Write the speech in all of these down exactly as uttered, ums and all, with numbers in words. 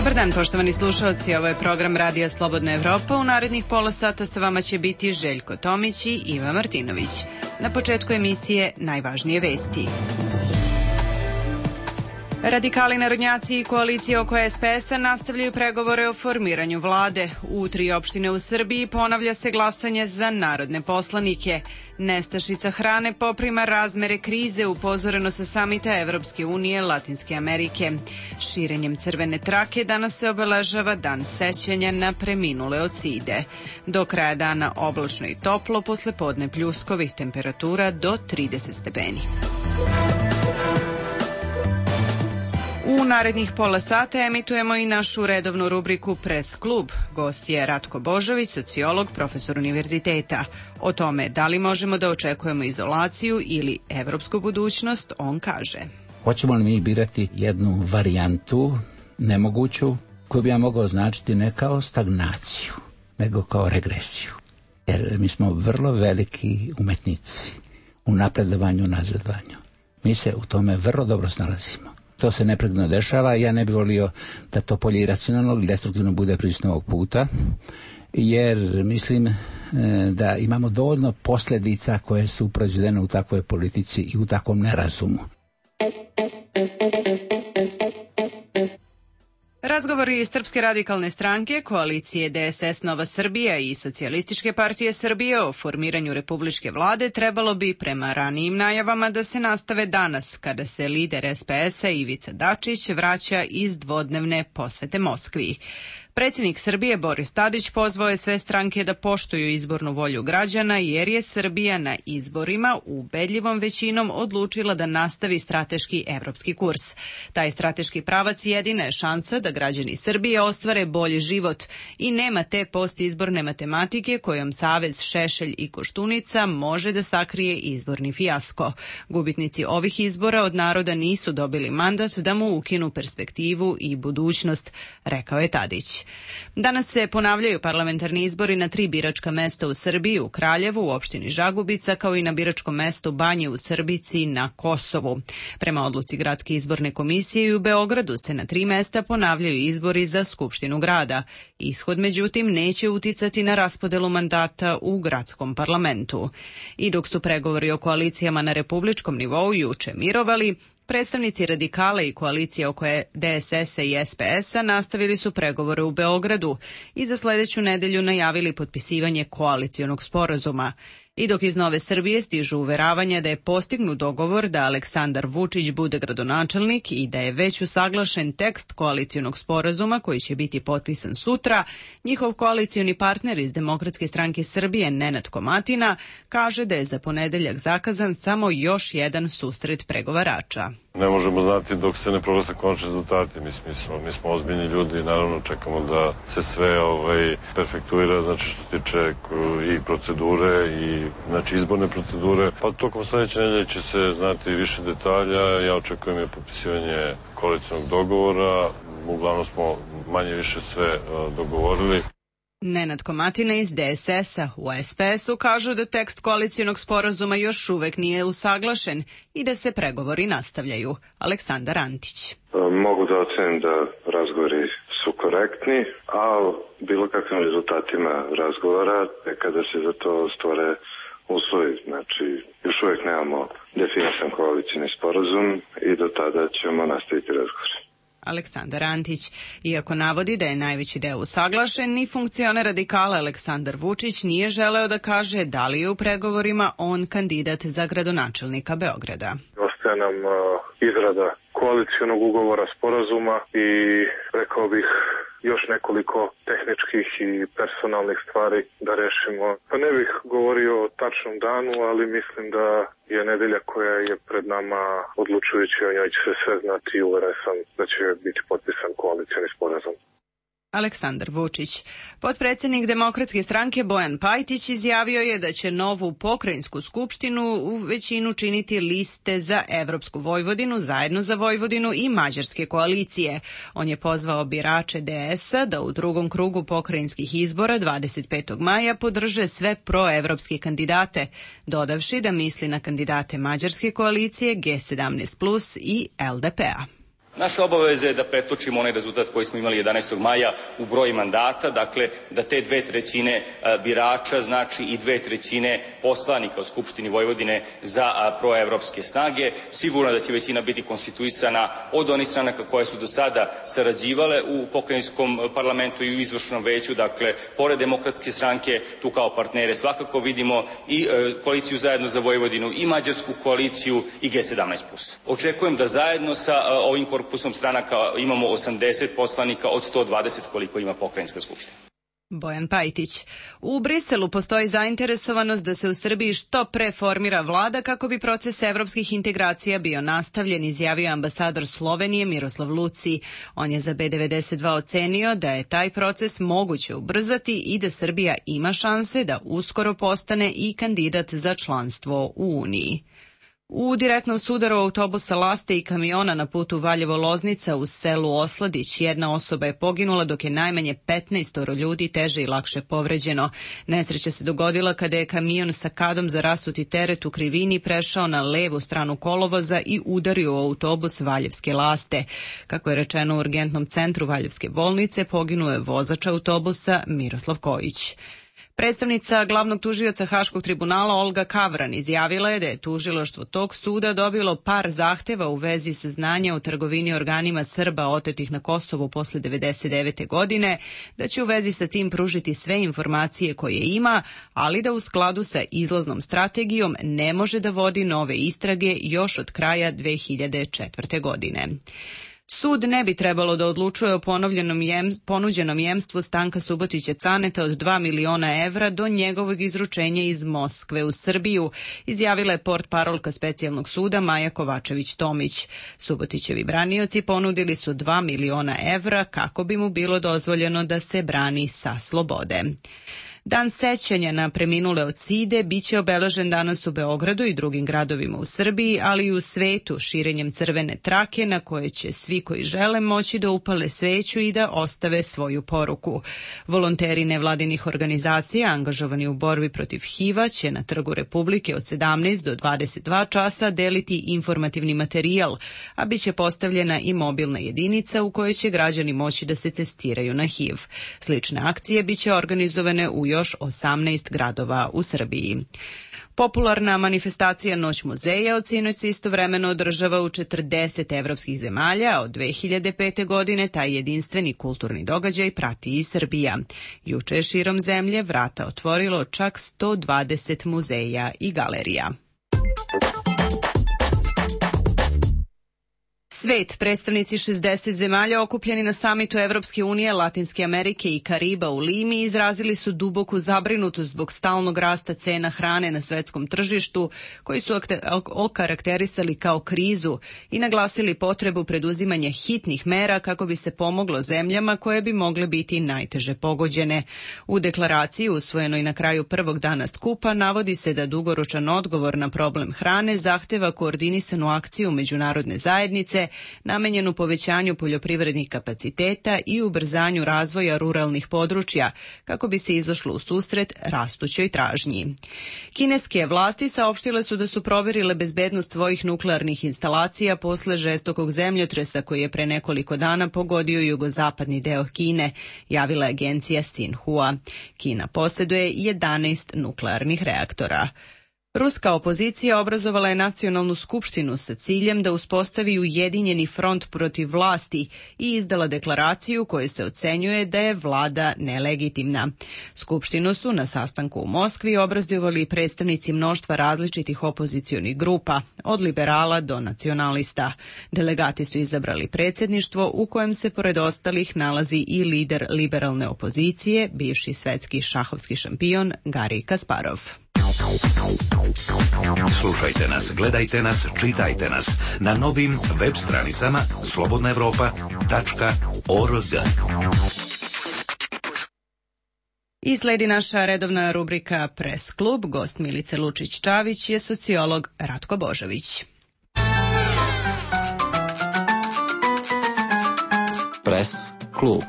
Dobar dan, poštovani slušalci, ovo je program Radija Slobodna Evropa. U narednih pola sata sa vama će biti Željko Tomić i Iva Martinović. Na početku emisije najvažnije vesti. Radikali narodnjaci i koalicije oko es pe es-a nastavljaju pregovore o formiranju vlade. U tri opštine u Srbiji ponavlja se glasanje za narodne poslanike. Nestašica hrane poprima razmere krize, upozoreno sa samita Evropske unije Latinske Amerike. Širenjem crvene trake danas se obeležava dan sećanja na preminule od side. Do kraja dana oblačno i toplo, posle podne pljuskovi, temperatura do trideset stepeni. U narednih pola sata emitujemo i našu redovnu rubriku Pres klub. Gost je Ratko Božović, sociolog, profesor univerziteta. O tome da li možemo da očekujemo izolaciju ili evropsku budućnost, on kaže. Hoćemo li mi birati jednu varijantu, nemoguću, koju bi ja mogao označiti ne kao stagnaciju, nego kao regresiju. Jer mi smo vrlo veliki umetnici u napredovanju, nazadovanju. Mi se u tome vrlo dobro snalazimo. To se neprekidno dešava. Ja ne bih volio da to polje iracionalnog i destruktivno bude prisutno ovog puta, jer mislim da imamo dovoljno posljedica koje su proizvedene u takvoj politici i u takvom nerazumu. Razgovori iz Srpske radikalne stranke, koalicije de es es Nova Srbija i Socijalističke partije Srbije o formiranju republičke vlade trebalo bi, prema ranijim najavama, da se nastave danas, kada se lider es pe es-a Ivica Dačić vraća iz dvodnevne posete Moskvi. Predsjednik Srbije Boris Tadić pozvao je sve stranke da poštuju izbornu volju građana, jer je Srbija na izborima ubedljivom većinom odlučila da nastavi strateški evropski kurs. Taj strateški pravac jedina je šansa da građani Srbije ostvare bolji život i nema te postizborne matematike kojom Savez, Šešelj i Koštunica može da sakrije izborni fijasko. Gubitnici ovih izbora od naroda nisu dobili mandat da mu ukinu perspektivu i budućnost, rekao je Tadić. Danas se ponavljaju parlamentarni izbori na tri biračka mesta u Srbiji, u Kraljevu, u opštini Žagubica, kao i na biračkom mestu Banje u Srbici na Kosovu. Prema odluci Gradske izborne komisije i u Beogradu se na tri mesta ponavljaju izbori za Skupštinu grada. Ishod, međutim, neće uticati na raspodelu mandata u gradskom parlamentu. I dok su pregovori o koalicijama na republičkom nivou juče mirovali, predstavnici radikala i koalicije oko de es es-a i es pe es-a nastavili su pregovore u Beogradu i za sledeću nedelju najavili potpisivanje koalicionog sporazuma. I dok iz Nove Srbije stižu uveravanja da je postignut dogovor da Aleksandar Vučić bude gradonačelnik i da je već usaglašen tekst koalicionog sporazuma koji će biti potpisan sutra, njihov koalicioni partner iz Demokratske stranke Srbije Nenad Komatina kaže da je za ponedeljak zakazan samo još jedan susret pregovarača. Ne možemo znati dok se ne proglase konačni rezultati. Mi, mi, smo, mi smo ozbiljni ljudi i naravno čekamo da se sve ovaj, perfektuira, znači što se tiče i procedure i znači izborne procedure. Pa tokom sledeće nedelje će se znati više detalja. Ja očekujem je potpisivanje koalicionog dogovora. Uglavnom smo manje više sve uh, dogovorili. Nenad Komatina iz de es es-a u es pe es-u kažu da tekst koalicionog sporazuma još uvek nije usaglašen i da se pregovori nastavljaju. Aleksandar Antić. Mogu da ocenim da razgovori su korektni, a bilo kakvim rezultatima razgovora kada se za to stvore uslovi. Znači, još uvek nemamo definisan koalicijni sporazum i do tada ćemo nastaviti razgovor. Aleksandar Antić, iako navodi da je najveći deo usaglašen, ni funkcioner radikala Aleksandar Vučić nije želeo da kaže da li je u pregovorima on kandidat za gradonačelnika Beograda. Ostaje nam uh, izrada koalicionog ugovora, sporazuma i rekao bih još nekoliko tehničkih i personalnih stvari da rešimo. Pa ne bih govorio o tačnom danu, ali mislim da je nedelja koja je pred nama odlučujuća, o njoj će se sve znati i uveren sam da će biti potpisan koalicioni sporazum. Aleksandar Vučić. Potpredsednik Demokratske stranke Bojan Pajtić izjavio je da će novu pokrajinsku skupštinu u većinu činiti liste za Evropsku Vojvodinu, Zajedno za Vojvodinu i mađarske koalicije. On je pozvao birače de es-a da u drugom krugu pokrajinskih izbora dvadeset petog maja podrže sve proevropske kandidate, dodavši da misli na kandidate mađarske koalicije G sedamnaest plus i el de pe-a. Naša obaveza je da pretočimo onaj rezultat koji smo imali jedanaestog maja u broj mandata, dakle da te dve trećine birača znači i dve trećine poslanika u Skupštini Vojvodine za proevropske snage. Sigurno da će većina biti konstituisana od onih stranaka koje su do sada sarađivale u pokrajinskom parlamentu i u izvršnom veću, dakle pored Demokratske stranke tu kao partnere svakako vidimo i koaliciju Zajedno za Vojvodinu i Mađarsku koaliciju i G sedamnaest plus. Očekujem da zajedno sa ovim korpusom stranaka imamo osamdeset poslanika od sto dvadeset koliko ima pokrajinska skupština. Bojan Pajtić. U Briselu postoji zainteresovanost da se u Srbiji što pre formira vlada kako bi proces evropskih integracija bio nastavljen, izjavio ambasador Slovenije Miroslav Luci. On je za B devedeset dva ocenio da je taj proces moguće ubrzati i da Srbija ima šanse da uskoro postane i kandidat za članstvo u Uniji. U direktnom sudaru autobusa Laste i kamiona na putu Valjevo-Loznica u selu Osladić jedna osoba je poginula dok je najmanje petnaest ljudi teže i lakše povređeno. Nesreća se dogodila kada je kamion sa kadom za rasuti teret u krivini prešao na levu stranu kolovoza i udario u autobus Valjevske Laste. Kako je rečeno u urgentnom centru Valjevske bolnice, poginuo je vozač autobusa Miroslav Kojić. Predstavnica glavnog tužioca Haškog tribunala Olga Kavran izjavila je da je tužilaštvo tog suda dobilo par zahteva u vezi saznanja o trgovini organima Srba otetih na Kosovu posle devedeset devete godine, da će u vezi sa tim pružiti sve informacije koje ima, ali da u skladu sa izlaznom strategijom ne može da vodi nove istrage još od kraja dve hiljade četvrte. godine. Sud ne bi trebalo da odlučuje o ponovljenom jem, ponuđenom jemstvu Stanka Subotića Caneta od dva miliona evra do njegovog izručenja iz Moskve u Srbiju, izjavila je portparolka specijalnog suda Maja Kovačević-Tomić. Subotićevi branioci ponudili su dva miliona evra kako bi mu bilo dozvoljeno da se brani sa slobode. Dan sećanja na preminule od side biće obeležen danas u Beogradu i drugim gradovima u Srbiji, ali i u svetu širenjem crvene trake na koje će svi koji žele moći da upale sveću i da ostave svoju poruku. Volonteri nevladinih organizacija angažovani u borbi protiv H I V-a će na Trgu Republike od sedamnaest do dvadeset dva časa deliti informativni materijal, a biće postavljena i mobilna jedinica u kojoj će građani moći da se testiraju na H I V. Slične akcije biće organizovane u još osamnaest gradova u Srbiji. Popularna manifestacija Noć muzeja od sinoć se istovremeno održava u četrdeset evropskih zemalja, a od dve hiljade pete. godine taj jedinstveni kulturni događaj prati i Srbija. Juče je širom zemlje vrata otvorilo čak sto dvadeset muzeja i galerija. Svet, predstavnici šezdeset zemalja okupljeni na samitu Evropske unije, Latinske Amerike i Kariba u Limi izrazili su duboku zabrinutost zbog stalnog rasta cena hrane na svetskom tržištu, koji su okarakterisali kao krizu i naglasili potrebu preduzimanja hitnih mera kako bi se pomoglo zemljama koje bi mogle biti najteže pogođene. U deklaraciji usvojenoj na kraju prvog dana skupa navodi se da dugoročan odgovor na problem hrane zahteva koordinisanu akciju međunarodne zajednice namenjenu povećanju poljoprivrednih kapaciteta i ubrzanju razvoja ruralnih područja kako bi se izašlo u susret rastućoj tražnji. Kineske vlasti saopštile su da su proverile bezbednost svojih nuklearnih instalacija posle žestokog zemljotresa koji je pre nekoliko dana pogodio jugozapadni deo Kine, javila agencija Xinhua. Kina posjeduje jedanaest nuklearnih reaktora. Ruska opozicija obrazovala je nacionalnu skupštinu sa ciljem da uspostavi ujedinjeni front protiv vlasti i izdala deklaraciju kojoj se ocenjuje da je vlada nelegitimna. Skupštinu su na sastanku u Moskvi obrazovali predstavnici mnoštva različitih opozicionih grupa, od liberala do nacionalista. Delegati su izabrali predsjedništvo u kojem se pored ostalih nalazi i lider liberalne opozicije, bivši svetski šahovski šampion Garij Kasparov. Slušajte nas, gledajte nas, čitajte nas na novim web stranicama slobodna evropa tačka org. I sledi naša redovna rubrika Press klub. Gost Milice Lučić-Čavić je sociolog Ratko Božović. Press klub.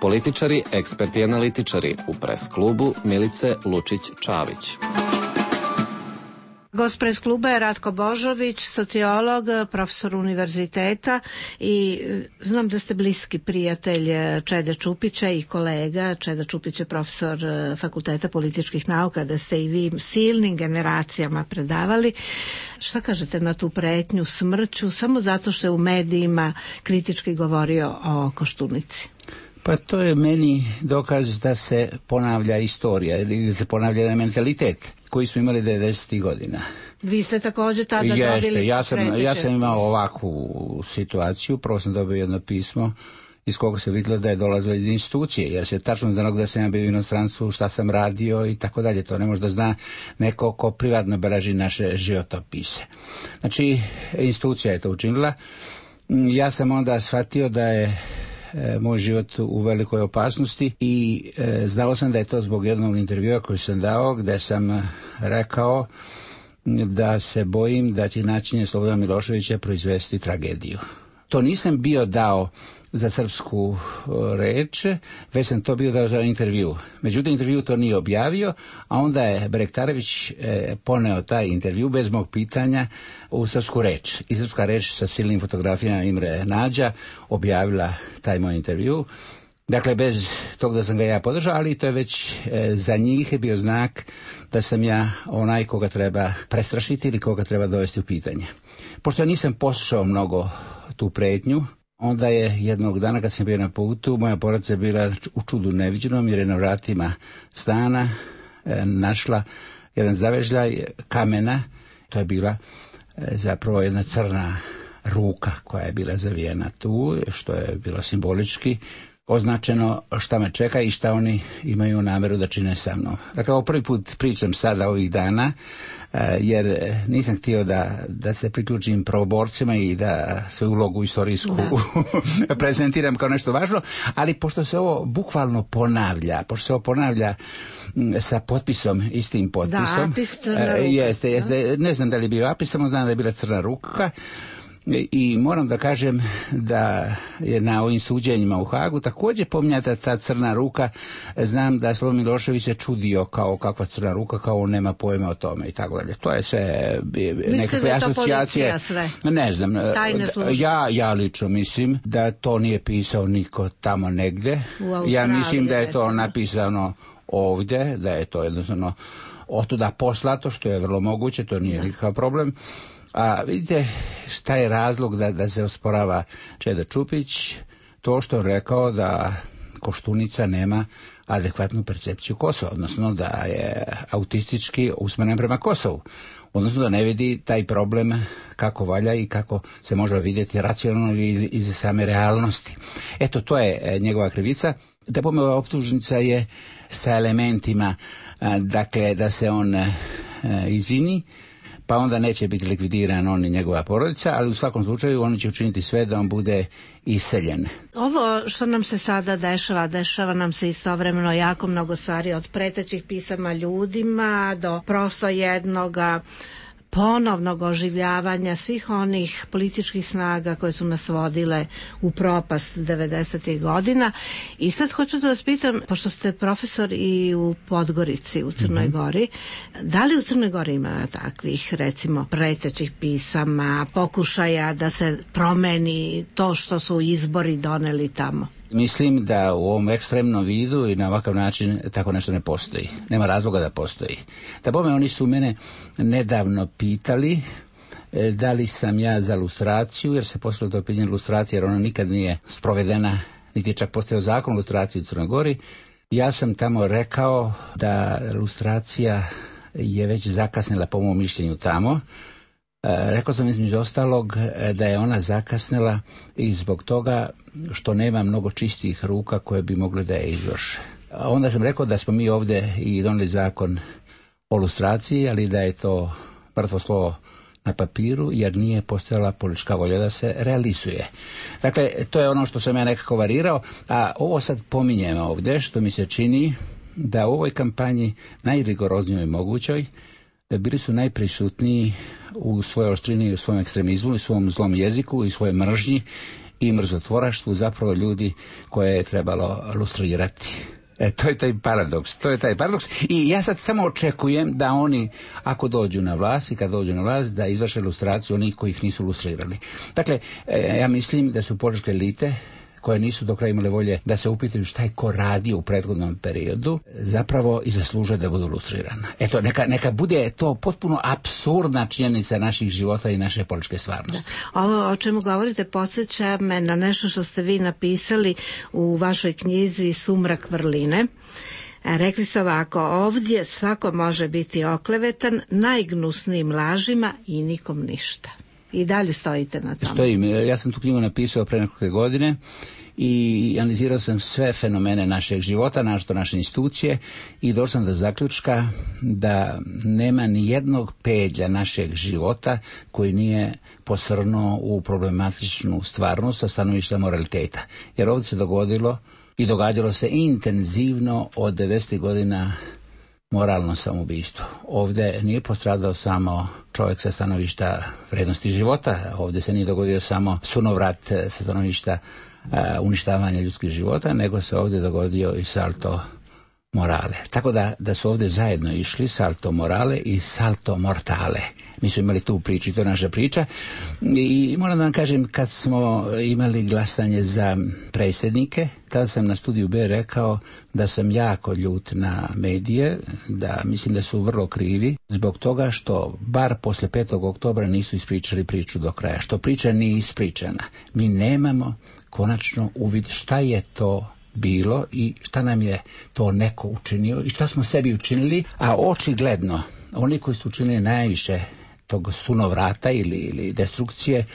Političari, eksperti i analitičari u Press klubu Milice Lučić-Čavić. Gost Pres kluba je Ratko Božović, sociolog, profesor univerziteta i znam da ste bliski prijatelj Čede Čupića i kolega. Čeda Čupić je profesor Fakulteta političkih nauka, da ste i vi silnim generacijama predavali. Šta kažete na tu pretnju smrću samo zato što je u medijima kritički govorio o Koštunici? Pa to je meni dokaz da se ponavlja istorija ili da se ponavlja mentalitet koji smo imali devedesetih godina. Vi ste također tada Jeste, dobili ja sam, ja sam imao ovakvu situaciju. Prvo sam dobio jedno pismo iz koga se vidjelo da je dolazilo iz institucije, jer se tačno znalo da sam ja bio u inostranstvu, šta sam radio i tako dalje. To ne može da zna neko ko privatno beleži naše životopise. Znači, institucija je to učinila. Ja sam onda shvatio da je moj život u velikoj opasnosti i e, znao sam da je to zbog jednog intervjua koji sam dao, gde sam rekao da se bojim da će načinje Slobodana Miloševića proizvesti tragediju. To nisam bio dao za srpsku reč, već sam to bio dao za intervju. Međutim, intervju to nije objavio, a onda je Berektarević e, poneo taj intervju bez mog pitanja u srpsku reč. I srpska reč sa silnim fotografijama Imre Nađa objavila taj moj intervju. Dakle, bez tog da sam ga ja podržao, ali to je već e, za njih je bio znak da sam ja onaj koga treba prestrašiti ili koga treba dovesti u pitanje. Pošto ja nisam poslušao mnogo tu pretnju, onda je jednog dana kad sam bio na putu, moja porodica je bila u čudu neviđenom jer je na vratima stana e, našla jedan zavežljaj kamena. To je bila e, zapravo jedna crna ruka koja je bila zavijena tu, što je bilo simbolički označeno šta me čeka i šta oni imaju nameru da čine sa mnom. Dakle, ovo prvi put pričam sada ovih dana, jer nisam htio da, da se priključim pravoborcima i da svoju ulogu istorijsku prezentiram kao nešto važno, ali pošto se ovo bukvalno ponavlja, pošto se ovo ponavlja sa potpisom, istim potpisom. Da, apis crna ruka. Jeste, jeste, ne znam da li je bio apis, samo znam da je bila crna ruka. I moram da kažem da je na ovim suđenjima u Hagu također pominjata ta crna ruka. Znam da Slobodan Milošević se čudio kao kakva crna ruka, kao on nema pojma o tome i tako dalje. To je sve nekakve asocijacije. Ne znam. Ja, ja lično mislim da to nije pisao niko tamo negde. Ja mislim da je to napisano ovdje, da je to jednostavno otuda poslato, što je vrlo moguće, to nije nikakav problem. A vidite šta je razlog da, da se osporava Čeda Čupić? To što je rekao da Koštunica nema adekvatnu percepciju Kosova, odnosno da je autistički usmeren prema Kosovu, odnosno da ne vidi taj problem kako valja i kako se može vidjeti racionalno ili iz same realnosti. Eto, to je njegova krivica. Da pome ova optužnica je sa elementima, dakle, da se on izvini, pa onda neće biti likvidiran on i njegova porodica, ali u svakom slučaju oni će učiniti sve da on bude iseljen. Ovo što nam se sada dešava, dešava nam se istovremeno jako mnogo stvari, od pretećih pisama ljudima do prosto jednoga ponovnog oživljavanja svih onih političkih snaga koje su nas vodile u propast devedesetih godina. I sad hoću da vas pitam, pošto ste profesor i u Podgorici, u Crnoj Gori, da li u Crnoj Gori ima takvih, recimo, pretećih pisama, pokušaja da se promeni to što su izbori doneli tamo? Mislim da u ovom ekstremnom vidu i na ovakav način tako nešto ne postoji. Nema razloga da postoji. Da bome, oni su mene nedavno pitali e, da li sam ja za lustraciju, jer se postavilo to pitanje lustracije, jer ona nikad nije sprovedena, niti je čak postojao zakon o lustraciji u Crnoj Gori. Ja sam tamo rekao da lustracija je već zakasnila po mom mišljenju tamo. Rekao sam između ostalog da je ona zakasnila i zbog toga što nema mnogo čistih ruka koje bi mogle da je izvrše. Onda sam rekao da smo mi ovdje i doneli zakon o lustraciji, ali da je to mrtvo slovo na papiru, jer nije postojala politička volja da se realizuje. Dakle, to je ono što sam ja nekako varirao, a ovo sad pominjem ovdje, što mi se čini da u ovoj kampanji najrigoroznijoj mogućoj bili su najprisutniji u svojoj oštrini, u svom ekstremizmu, u svom zlom jeziku i svojoj mržnji i mrzotvoraštvu zapravo ljudi koje je trebalo lustrirati. E, to je taj paradoks, to je taj paradoks i ja sad samo očekujem da oni, ako dođu na vlast i kad dođu na vlast, da izvrše lustraciju onih koji ih nisu lustrirali. Dakle, e, ja mislim da su političke elite koje nisu do kraja imale volje da se upitaju šta je ko radio u prethodnom periodu, zapravo i zaslužuje da budu lustrirana. Eto, neka, neka bude to potpuno apsurdna činjenica naših života i naše političke stvarnosti. Da. Ovo o čemu govorite podsjeća me na nešto što ste vi napisali u vašoj knjizi Sumrak vrline. Rekli ste ovako: ovdje svako može biti oklevetan najgnusnijim lažima i nikom ništa. I dalje stojite na tome. Stojim. Ja sam tu knjigu napisao pre nekoliko godine i analizirao sam sve fenomene našeg života, našto naše institucije i došao sam do zaključka da nema ni jednog pedlja našeg života koji nije posrnuo u problematičnu stvarnost sa stanovišta moraliteta. Jer ovdje se dogodilo i događalo se intenzivno od devedesetih godina moralno samoubistvo. Ovdje nije postradao samo čovjek sa stanovišta vrednosti života, ovdje se nije dogodio samo sunovrat sa stanovišta uh, uništavanja ljudskih života, nego se ovdje dogodio i salto morale. Tako da, da su ovdje zajedno išli salto morale i salto mortale. Mi smo imali tu priču i to je naša priča. I moram da vam kažem, kad smo imali glasanje za predsjednike, tada sam na studiju B rekao da sam jako ljut na medije, da mislim da su vrlo krivi, zbog toga što bar posle petog oktobra nisu ispričali priču do kraja. Što priča nije ispričana. Mi nemamo konačno uvid šta je to bilo i šta nam je to neko učinio i šta smo sebi učinili, a očigledno oni koji su učinili najviše tog sunovrata ili, ili destrukcije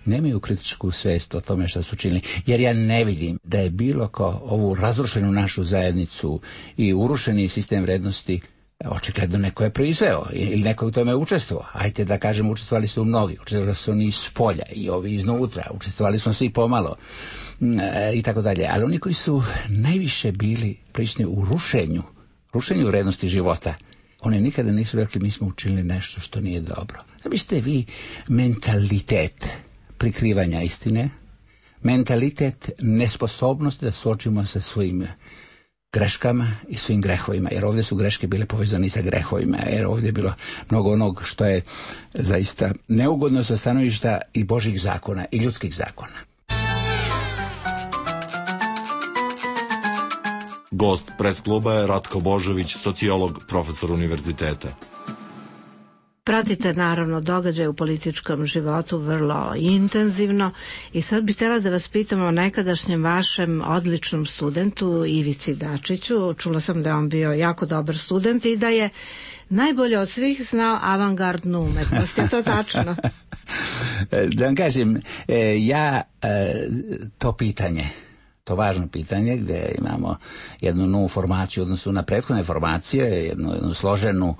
nemaju kritičku svest o tome što su učinili. Jer ja ne vidim da je bilo ko ovu razrušenu našu zajednicu i urušeni sistem vrednosti očigledno neko je proizveo ili neko u tome učestvovao. Ajte da kažem, učestvovali su mnogi, učestvovali su oni iz spolja i ovi iznutra, učestvovali smo svi pomalo e, i tako dalje. Ali oni koji su najviše bili prisutni u rušenju, rušenju vrednosti života, oni nikada nisu rekli mi smo učinili nešto što nije dobro. Zamislite vi mentalitet prikrivanja istine, mentalitet nesposobnosti da suočimo sa svojim greškama i svim grehovima, jer ovdje su greške bile povezane sa grehovima, jer ovdje je bilo mnogo onog što je zaista neugodno sa stanovišta i Božjih zakona i ljudskih zakona. Gost pres kluba je Ratko Božović, sociolog, profesor univerziteta. Pratite naravno događaje u političkom životu vrlo intenzivno i sad bih htjela da vas pitam o nekadašnjem vašem odličnom studentu Ivici Dačiću. Čula sam da je on bio jako dobar student i da je najbolje od svih znao avangardnu umetnost. Je to tačno? Da vam kažem, ja to pitanje, to važno pitanje gdje imamo jednu novu formaciju u odnosu na prethodne formacije, jednu, jednu složenu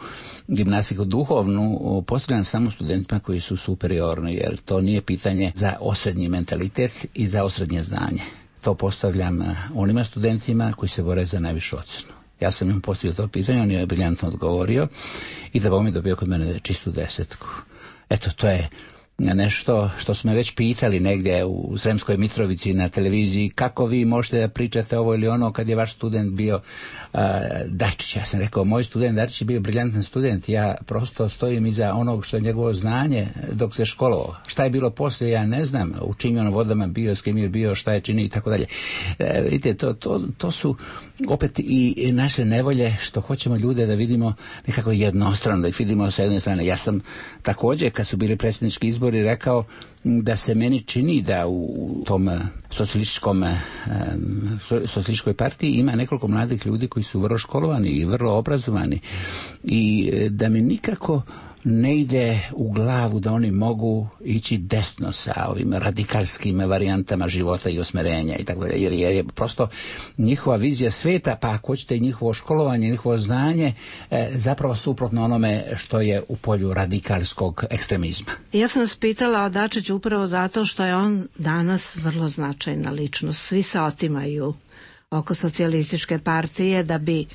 gimnastiku duhovnu, postavljam samo studentima koji su superiorni, jer to nije pitanje za osrednji mentalitet i za osrednje znanje. To postavljam onima studentima koji se bore za najvišu ocenu. Ja sam im postavio to pitanje, on je briljantno odgovorio i da mi dobio kod mene čistu desetku. Eto, to je nešto što smo već pitali negdje u Sremskoj Mitrovici na televiziji, kako vi možete da pričate ovo ili ono kad je vaš student bio uh, Dačić. Ja sam rekao, moj student Dačić je bio briljantan student, ja prosto stojim iza onog što je njegovo znanje dok se školovao. Šta je bilo poslije, ja ne znam, u čim je on vodama bio, s kim je bio, šta je čini i tako dalje. E, vidite, to, to, to su opet i naše nevolje što hoćemo ljude da vidimo nekako jednostrano, da ih vidimo sa jedne strane. Ja sam također, kad su bili predsjednički izbori, rekao da se meni čini da u tom socijalističkom socijalističkoj partiji ima nekoliko mladih ljudi koji su vrlo školovani i vrlo obrazovani i da mi nikako ne ide u glavu da oni mogu ići desno sa ovim radikalskim varijantama života i osmerenja i tako dalje, jer je prosto njihova vizija sveta, pa ako hoćete i njihovo školovanje, njihovo znanje, e, zapravo suprotno onome što je u polju radikalskog ekstremizma. Ja sam vas pitala o Dačiću upravo zato što je on danas vrlo značajna ličnost. Svi se otimaju oko socijalističke partije da bi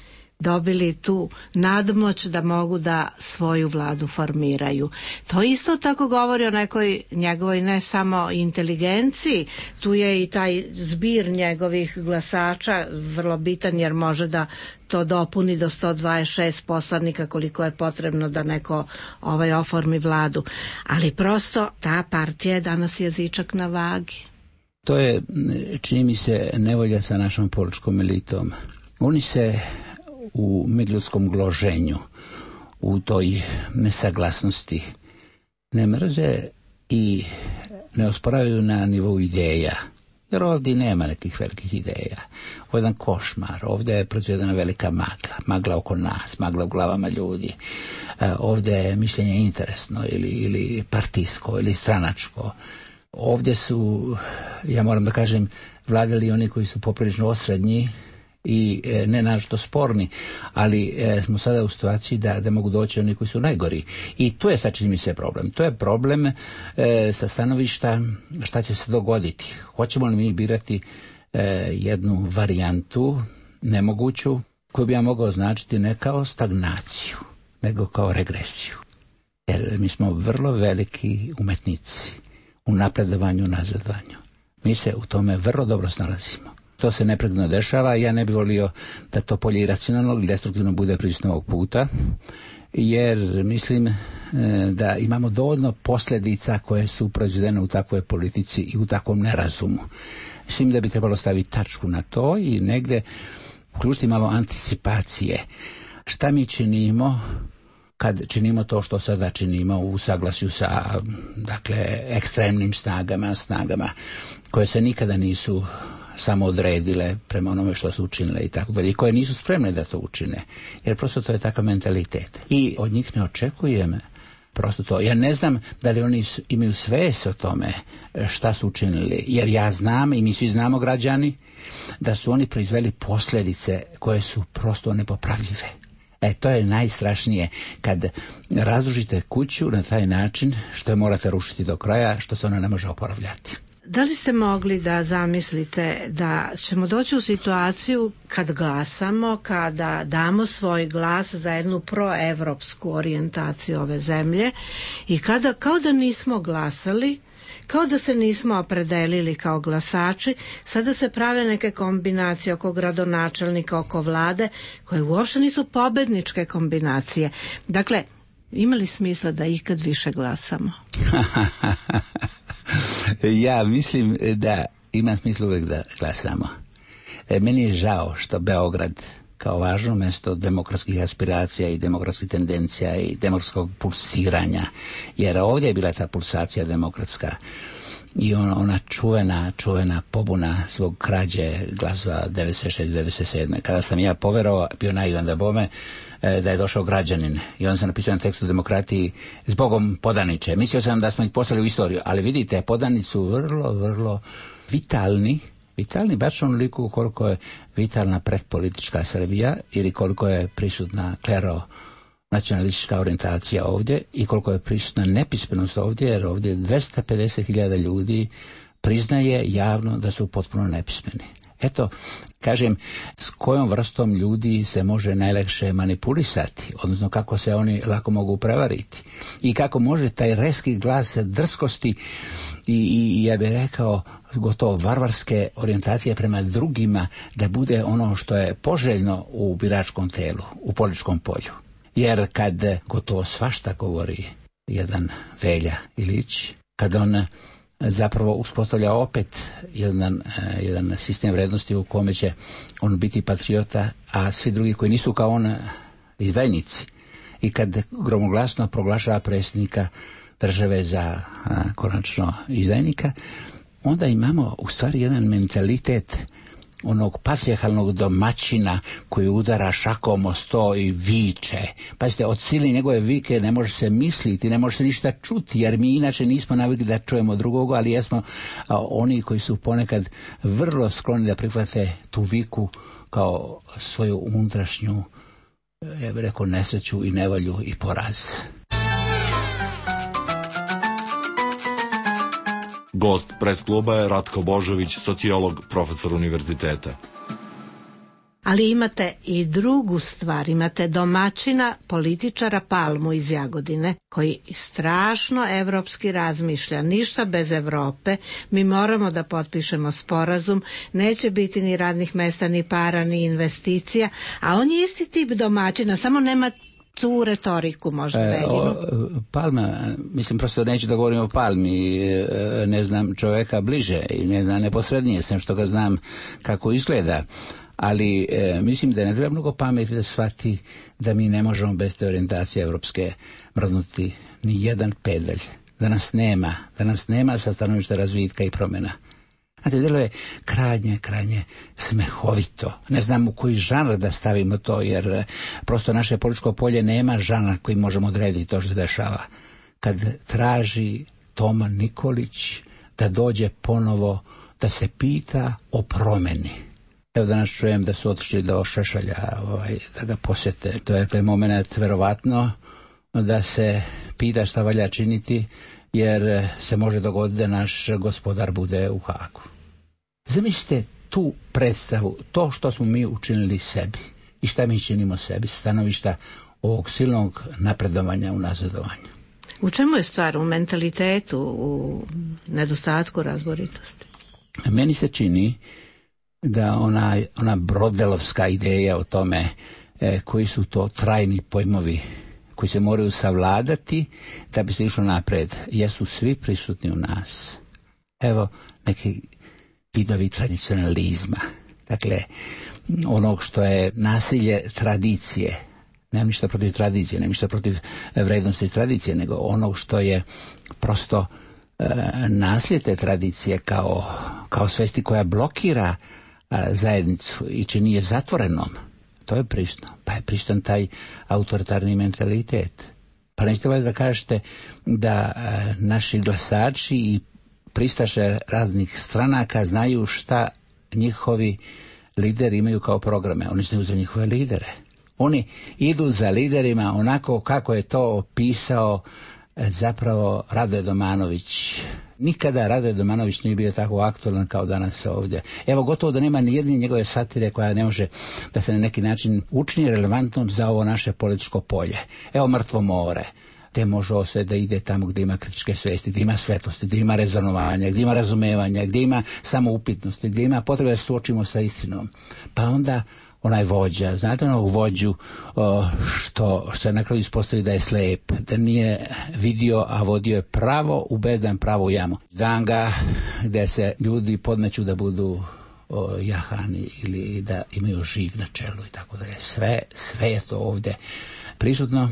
dobili tu nadmoć da mogu da svoju vladu formiraju. To isto tako govori o nekoj njegovoj ne samo inteligenciji, tu je i taj zbir njegovih glasača vrlo bitan jer može da to dopuni do sto dvadeset šest poslanika koliko je potrebno da neko ovaj oformi vladu. Ali prosto ta partija je danas jezičak na vagi. To je, čini mi se, nevolja sa našom političkom elitom. Oni se u međuljudskom gloženju, u toj nesaglasnosti ne mrze i ne osporavaju na nivou ideja. Jer ovdje nema nekih velikih ideja. Ovo je jedan košmar, ovdje je proizvedena velika magla, magla oko nas, magla u glavama ljudi. E, ovdje je mišljenje interesno ili, ili partijsko ili stranačko. Ovdje su, ja moram da kažem, vladali oni koji su poprilično osrednji i e, ne našto sporni, ali e, smo sada u situaciji da, da mogu doći oni koji su najgori. I tu je sad čini mi se problem. To je problem e, sa stanovišta šta će se dogoditi. Hoćemo li mi birati e, jednu varijantu nemoguću koju bi ja mogao značiti ne kao stagnaciju, nego kao regresiju. Jer mi smo vrlo veliki umetnici u napredovanju, nazadovanju. Mi se u tome vrlo dobro snalazimo. To se neprekidno dešava i ja ne bih volio da to polje iracionalnog ili destruktivno bude prisutno ovog puta, jer mislim e, da imamo dovoljno posljedica koje su proizvedene u takvoj politici i u takvom nerazumu. Mislim da bi trebalo staviti tačku na to i negde uključiti malo anticipacije. Šta mi činimo kad činimo to što sada činimo u saglasju sa, dakle, ekstremnim snagama, snagama koje se nikada nisu samo odredile prema onome što su učinile i tako dalje, i koje nisu spremne da to učine, jer prosto to je takav mentalitet. I od njih ne očekujem prosto to. Ja ne znam da li oni imaju svest o tome šta su učinili, jer ja znam i mi svi znamo, građani, da su oni proizveli posljedice koje su prosto nepopravljive. E, to je najstrašnije, kad razrušite kuću na taj način što je morate rušiti do kraja, što se ona ne može oporavljati. Da li ste mogli da zamislite da ćemo doći u situaciju kad glasamo, kada damo svoj glas za jednu proevropsku orijentaciju ove zemlje i kada, kao da nismo glasali, kao da se nismo opredelili kao glasači, sada se prave neke kombinacije oko gradonačelnika, oko vlade, koje uopšte nisu pobedničke kombinacije. Dakle, ima li smisla da ikad više glasamo? Ja mislim da ima smisla uvijek da glasamo. E, meni je žao što Beograd kao važno mjesto demokratskih aspiracija i demokratskih tendencija i demokratskog pulsiranja, jer ovdje je bila ta pulsacija demokratska i ona, ona čuvena, čuvena pobuna zbog krađe glasova devedeset šeste devedeset sedme Kada sam ja poverovao, bio naivan da bome, da je došao građanin i on se napisao na tekstu demokratiji zbogom podaniče. Mislio sam da smo ih poslali u istoriju, ali vidite, podani su vrlo, vrlo vitalni, vitalni baš onoliko koliko je vitalna predpolitička Srbija ili koliko je prisutna klero nacionalistička orijentacija ovdje i koliko je prisutna nepismenost ovdje, jer ovdje dvesta pedeset hiljada ljudi priznaje javno da su potpuno nepismeni. Eto, kažem, s kojom vrstom ljudi se može najlakše manipulisati, odnosno kako se oni lako mogu prevariti i kako može taj reski glas drskosti i, i ja bih rekao gotovo varvarske orijentacije prema drugima da bude ono što je poželjno u biračkom telu, u političkom polju. Jer kad gotovo svašta govori jedan Velja Ilić, kad on zapravo uspostavlja opet jedan, jedan sistem vrednosti u kome će on biti patriota, a svi drugi koji nisu kao on izdajnici. I kad gromoglasno proglašava predsjednika države za a, konačno izdajnika, onda imamo u stvari jedan mentalitet onog patrijarhalnog domaćina koji udara šakom o sto i viče. Pazite, od sili njegove vike ne može se misliti, ne može se ništa čuti, jer mi inače nismo navikli da čujemo drugoga, ali jesmo a, oni koji su ponekad vrlo skloni da prihvate tu viku kao svoju unutrašnju, ja bih rekao, nesreću i nevolju i poraz. Gost pres kluba je Ratko Božović, sociolog, profesor univerziteta. Ali imate i drugu stvar, imate domaćina, političara Palmu iz Jagodine, koji strašno evropski razmišlja, ništa bez Evrope, mi moramo da potpišemo sporazum, neće biti ni radnih mesta, ni para, ni investicija, a on je isti tip domaćina, samo nema tu retoriku možda Veljinu. Palma, mislim, prosto neću da govorim o Palmi, ne znam čoveka bliže i ne znam neposrednije, sem što ga znam kako izgleda. Ali e, mislim da ne treba mnogo pameti da shvati da mi ne možemo bez te orijentacije evropske mrdnuti ni jedan pedalj. Da nas nema, da nas nema sa stanovišta razvitka i promjena. Znate, delo je krajnje, krajnje smehovito. Ne znam u koji žanr da stavimo to, jer prosto naše političko polje nema žanra koji možemo odrediti to što se dešava. Kad traži Toma Nikolić da dođe ponovo da se pita o promjeni. Evo danas čujem da su otišli do Šešelja, ovaj, da ga posjete. To je dakle moment verovatno da se pita šta valja činiti, jer se može dogoditi da naš gospodar bude u Hagu. Zamislite tu predstavu, to što smo mi učinili sebi i šta mi činimo sebi sa stanovišta ovog silnog napredovanja u nazadovanju. U čemu je stvar? U mentalitetu, u nedostatku razboritosti? Meni se čini da ona, ona brodelovska ideja o tome e, koji su to trajni pojmovi koji se moraju savladati da bi se išlo napred, jesu svi prisutni u nas. Evo neki vidovi tradicionalizma, dakle onog što je nasilje tradicije. Nemam ništa protiv tradicije, nemam ništa protiv vrednosti tradicije, nego onog što je prosto e, naslije te tradicije kao, kao svesti koja blokira a, zajednicu i čini je zatvorenom. To je prisutno. Pa je prisutan taj autoritarni mentalitet. Pa nećete valjda da kažete da a, naši glasači i pristaše raznih stranaka znaju šta njihovi lideri imaju kao programe. Oni znaju za njihove lidere. Oni idu za liderima onako kako je to opisao zapravo Radoje Domanović. Nikada Radoje Domanović nije bio tako aktualan kao danas ovdje. Evo, gotovo da nema ni jedne njegove satire koja ne može da se na neki način učini relevantnom za ovo naše političko polje. Evo, Mrtvo more. Te može ovo sve da ide tamo gdje ima kritičke svesti, gdje ima svetlosti, gdje ima rezonovanja, gdje ima razumevanja, gdje ima samoupitnosti, gdje ima potrebe da se suočimo sa istinom. Pa onda onaj vođa, znate onog vođu o, što, što je na kraju ispostavi da je slep, da nije vidio, a vodio je pravo u bezdan, pravo u jamu. Ganga gdje se ljudi podmeću da budu o, jahani ili da imaju žig na čelu i tako dalje. Sve, sve je to ovdje prisutno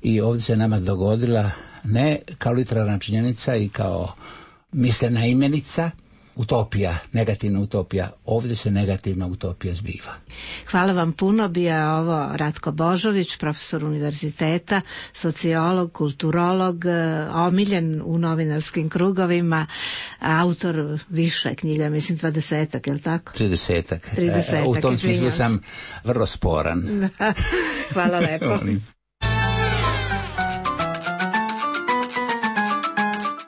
i ovdje se nama dogodila ne kao literarna činjenica i kao mislena imenica, utopija, negativna utopija. Ovdje se negativna utopija zbiva. Hvala vam puno. Bio je ovo Ratko Božović, profesor univerziteta, sociolog, kulturolog, omiljen u novinarskim krugovima, autor više knjiga, mislim dvadesetak, je li tako? Tridesetak. Tridesetak. U tom smislu sam vrlo sporan. Hvala lepo.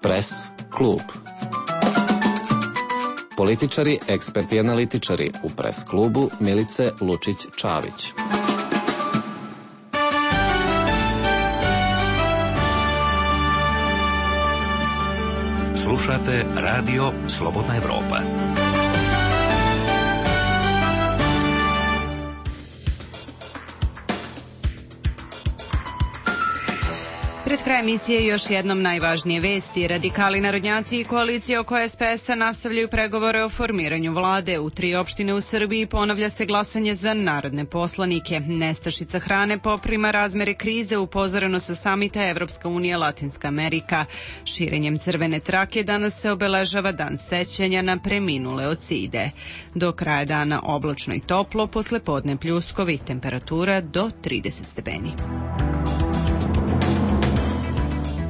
Press klub. Političari, eksperti i analitičari u Press klubu Milice Lučić-Čavić. Slušate Radio Slobodna Evropa. Pred kraj emisije još jednom najvažnije vesti. Radikali, narodnjaci i koalicija oko es pe es-a nastavljaju pregovore o formiranju vlade. U tri opštine u Srbiji ponavlja se glasanje za narodne poslanike. Nestašica hrane poprima razmere krize, upozoreno sa samita Evropska unija Latinska Amerika. Širenjem crvene trake danas se obeležava dan sećanja na preminule od side. Do kraja dana oblačno i toplo, posle podne pljuskovi, temperatura do trideset stepeni.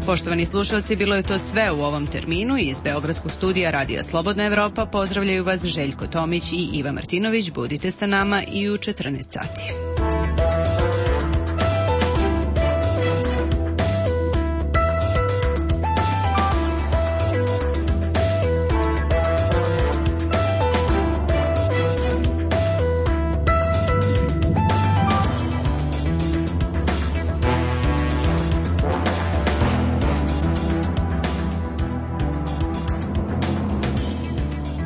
Poštovani slušalci, bilo je to sve u ovom terminu. Iz Beogradskog studija Radija Slobodna Evropa pozdravljaju vas Željko Tomić i Iva Martinović. Budite sa nama i u četrnaest sati.